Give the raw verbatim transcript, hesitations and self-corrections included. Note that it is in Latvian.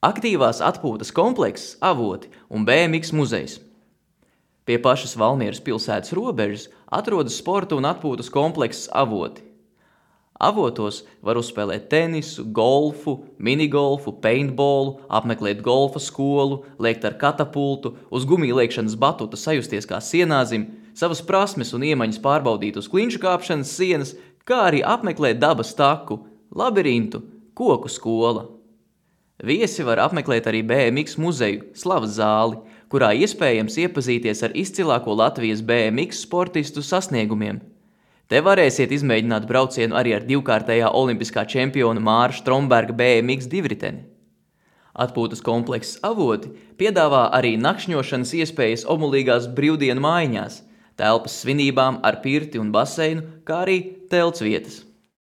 Aktīvās atpūtas komplekss Avoti un B M X muzejs. Pie pašas Valmieras pilsētas robežas atrodas sporta un atpūtas komplekss Avoti. Avotos var uzspēlēt tenisu, golfu, minigolfu, paintballu, apmeklēt golfa skolu, lēkt ar katapultu, uz gumiju liekšanas batuta sajusties kā sienāzim, savas prasmes un iemaņas pārbaudīt uz klinšu kāpšanas sienas, kā arī apmeklēt dabas taku, labirintu, koku skola. Viesi var apmeklēt arī B M X muzeju, Slavas zāli, kurā iespējams iepazīties ar izcilāko Latvijas B M X sportistu sasniegumiem. Te varēsiet izmēģināt braucienu arī ar divkārtējā olimpiskā čempiona Māra Stromberga B M X divriteni. Atpūtas komplekss Avoti piedāvā arī nakšņošanas iespējas omulīgās brīvdienu mājiņās, telpas svinībām ar pirti un baseinu, kā arī telts vietas.